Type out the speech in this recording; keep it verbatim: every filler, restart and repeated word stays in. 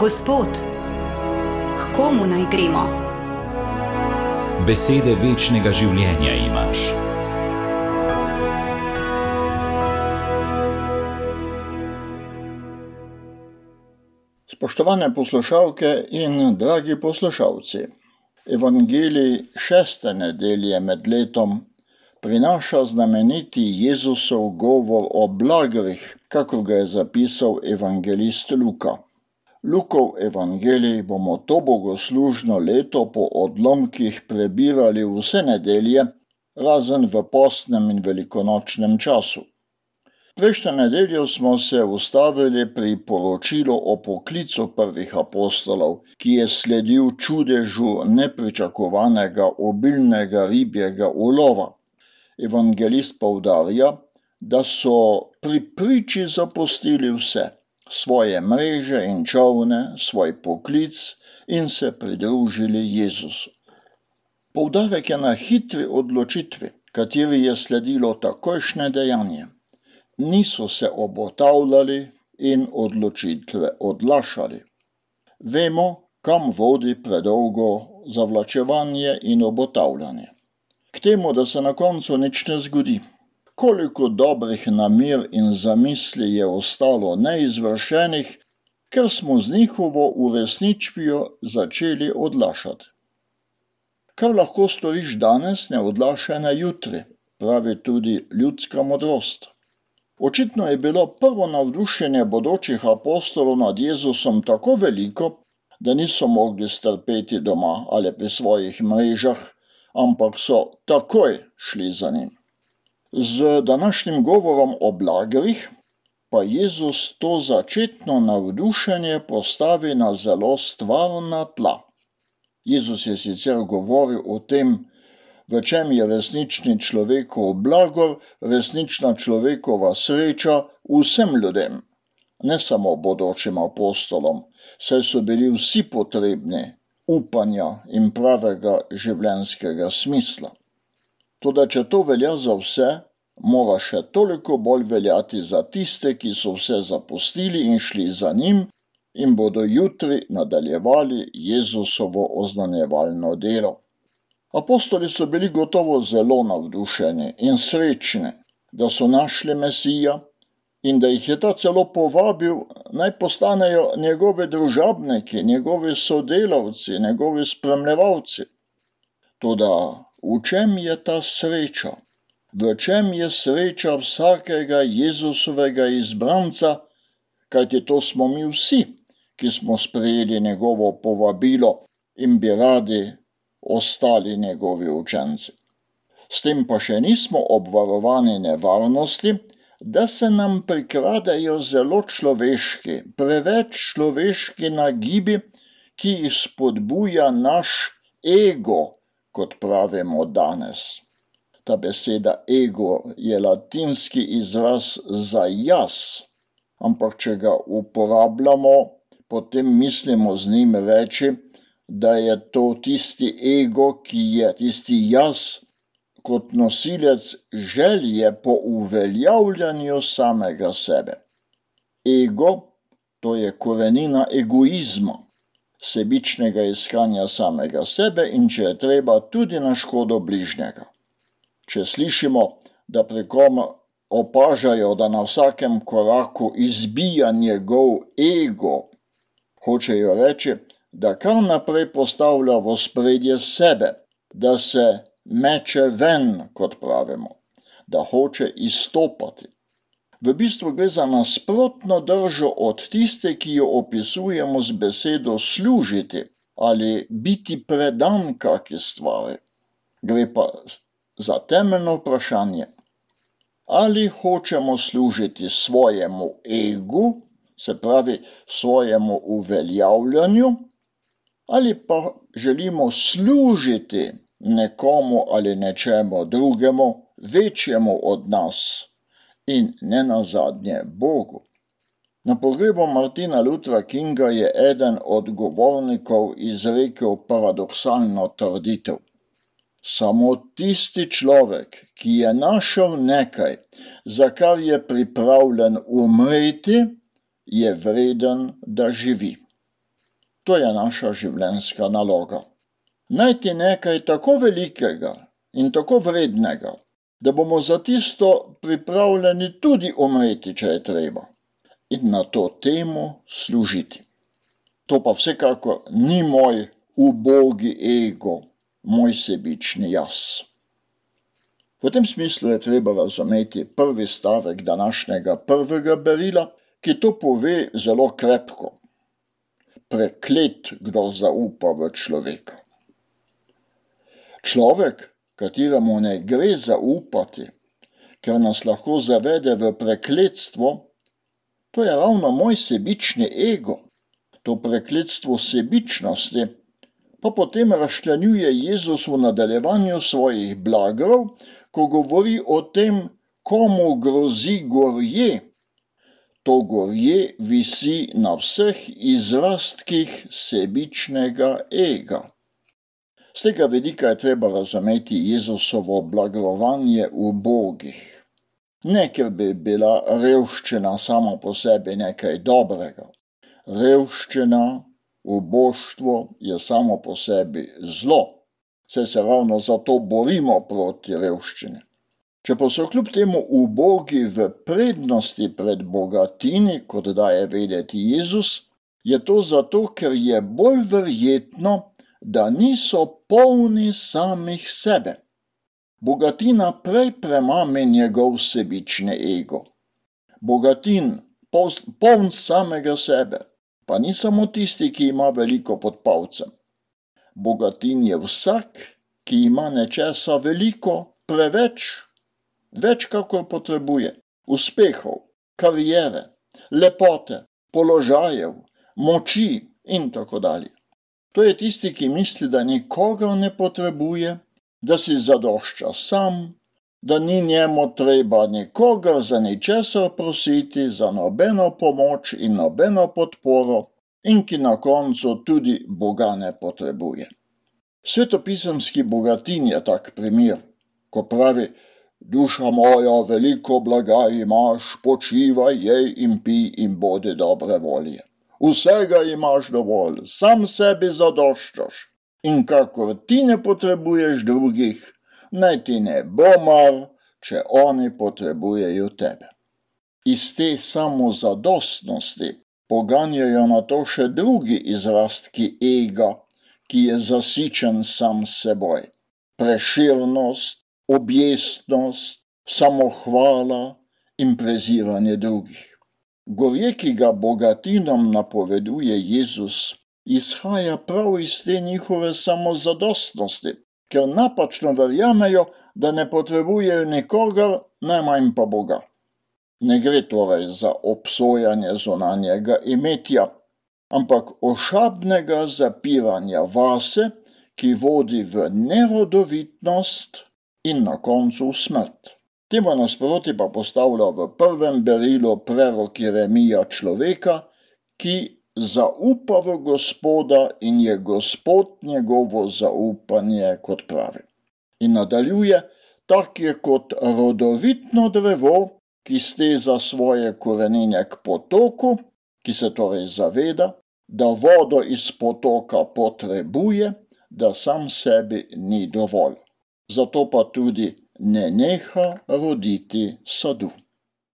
Gospod, k komu naj gremo? Besede večnega življenja imaš. Spoštovane poslušalke in dragi poslušalci, Evangelij šeste nedelje med letom prinaša znameniti Jezusov govor o blagrih, kakor ga je zapisal evangelist Luka. Lukov evangelij bomo to bogoslužno leto po odlomkih prebirali vse nedelje, razen v postnem in velikonočnem času. Prejšnjo nedeljo smo se ustavili pri poročilu o poklicu prvih apostolov, ki je sledil čudežu nepričakovanega obilnega ribjega ulova. Evangelist poudarja, da so pri priči zapustili vse, svoje mreže in čolne, svoj poklic in se pridružili Jezusu. Poudarek je na hitri odločitvi, kateri je sledilo takojšnje dejanje. Niso se obotavljali in odločitve odlašali. Vemo, kam vodi predolgo zavlačevanje in obotavljanje. K temu, da se na koncu nič ne zgodi. Koliko dobrih namer in zamisli je ostalo neizvršenih, ker smo z njihovo uresničvijo začeli odlašati. Kar lahko storiš danes, ne odlašaj na jutri, pravi tudi ljudska modrost. Očitno je bilo prvo navdušenje bodočih apostolov nad Jezusom tako veliko, da niso mogli strpeti doma ali pri svojih mrežah, ampak so takoj šli za njim. Z današnjim govorom o blagrih pa Jezus to začetno navdušenje postavi na zelo stvarna tla. Jezus je sicer govoril o tem, v čem je resnični človekov blagor, resnična človekova sreča vsem ljudem, ne samo bodočim apostolom, saj so bili vsi potrebni upanja in pravega življenjskega smisla. Toda če to velja za vse, mora še toliko bolj veljati za tiste, ki so vse zapustili in šli za njim in bodo jutri nadaljevali Jezusovo oznanjevalno delo. Apostoli so bili gotovo zelo navdušeni in srečni, da so našli Mesija in da jih je ta celo povabil, naj postanejo njegove družabniki, njegovi sodelavci, njegovi spremljevalci. Toda v čem je ta sreča? V čem je sreča vsakega Jezusovega izbranca, kajti to smo mi vsi, ki smo sprejeli njegovo povabilo in bi radi ostali njegovi učenci. S tem pa še nismo obvarovani nevarnosti, da se nam prikradejo zelo človeški, preveč človeški nagibi, ki jih spodbuja naš ego, kot pravimo danes. Ta beseda ego je latinski izraz za jaz, ampak če ga uporabljamo, potem mislimo z njim reči, da je to tisti ego, ki je tisti jaz, kot nosilec želje po uveljavljanju samega sebe. Ego, to je korenina egoizma, sebičnega iskanja samega sebe in če je treba tudi na škodo bližnjega. Če slišimo, da pri kom opažajo, da na vsakem koraku izbija njegov ego, hočejo reči, da kar naprej postavlja v ospredje sebe, da se meče ven, kot pravimo, da hoče izstopati. V bistvu gre za nasprotno držo od tiste, ki jo opisujemo z besedo služiti ali biti predan kaki stvari. Gre pa za temeljno vprašanje, ali hočemo služiti svojemu egu, se pravi svojemu uveljavljanju, ali pa želimo služiti nekomu ali nečemu drugemu, večjemu od nas in ne nazadnje Bogu. Na pogrebu Martina Luthera Kinga je eden od govornikov izrekel paradoksalno trditev. Samo tisti človek, ki je našel nekaj, za kar je pripravljen umreti, je vreden, da živi. To je naša življenjska naloga. Najti nekaj tako velikega in tako vrednega, da bomo za tisto pripravljeni tudi umreti, če je treba, in na to temu služiti. To pa vsekakor ni moj ubogi ego, moj sebični jaz. V tem smislu je treba razumeti prvi stavek današnjega prvega berila, ki to pove zelo krepko. Preklet, kdo zaupa v človeka. Človek, kateremu ne gre zaupati, ker nas lahko zavede v prekletstvo, to je ravno moj sebični ego. To prekletstvo sebičnosti pa potem razčlenjuje Jezus v nadaljevanju svojih blagrov, ko govori o tem, komu grozi gorje. To gorje visi na vseh izrastkih sebičnega ega. Z tega vidika je treba razumeti Jezusovo blagrovanje ubogih. Ne, ker bi bila revščina sama po sebi nekaj dobrega. Revščina, uboštvo je samo po sebi zlo, saj se ravno zato borimo proti revščini. Če pa so kljub temu ubogi v prednosti pred bogatini, kot daje vedeti Jezus, je to zato, ker je bolj verjetno, da niso polni samih sebe. Bogatina prej premami njegov sebični ego. Bogatin, poln samega sebe, pa ni samo tisti, ki ima veliko pod palcem. Bogatin je vsak, ki ima nečesa veliko, preveč, več kakor potrebuje, uspehov, kariere, lepote, položajev, moči in tako dalje. To je tisti, ki misli, da nikogar ne potrebuje, da si zadošča sam, da ni njemu treba nikogar za ničesar prositi, za nobeno pomoč in nobeno podporo in ki na koncu tudi Boga ne potrebuje. Svetopisemski bogatin je tak primer, ko pravi: duša moja, veliko blaga imaš, počivaj, jej in pij in bodi dobre volje. Vsega imaš dovolj, sam sebi zadoščaš in kakor ti ne potrebuješ drugih, naj ti ne bo mar, če oni potrebujejo tebe. Iz te samozadostnosti poganjajo na to še drugi izrastki ega, ki je zasičen sam s seboj. Preširnost, objestnost, samohvala in preziranje drugih. Gorje, ki ga bogatinom napoveduje Jezus, izhaja prav iz te njihove samozadostnosti, ker napačno verjamejo, da ne potrebujejo nikogar, najmanj pa Boga. Ne gre torej za obsojanje zunanjega imetja, ampak ošabnega zapiranja vase, ki vodi v nerodovitnost in na koncu v smrt. Temu nasproti pa postavlja v prvem berilu prerok Jeremija človeka, ki zaupa v Gospoda in je Gospod njegovo zaupanje, kot pravi. In nadaljuje: tak je kot rodovitno drevo, ki steza svoje korenine k potoku, ki se torej zaveda, da vodo iz potoka potrebuje, da sam sebi ni dovolj. Zato pa tudi ne neha roditi sadu.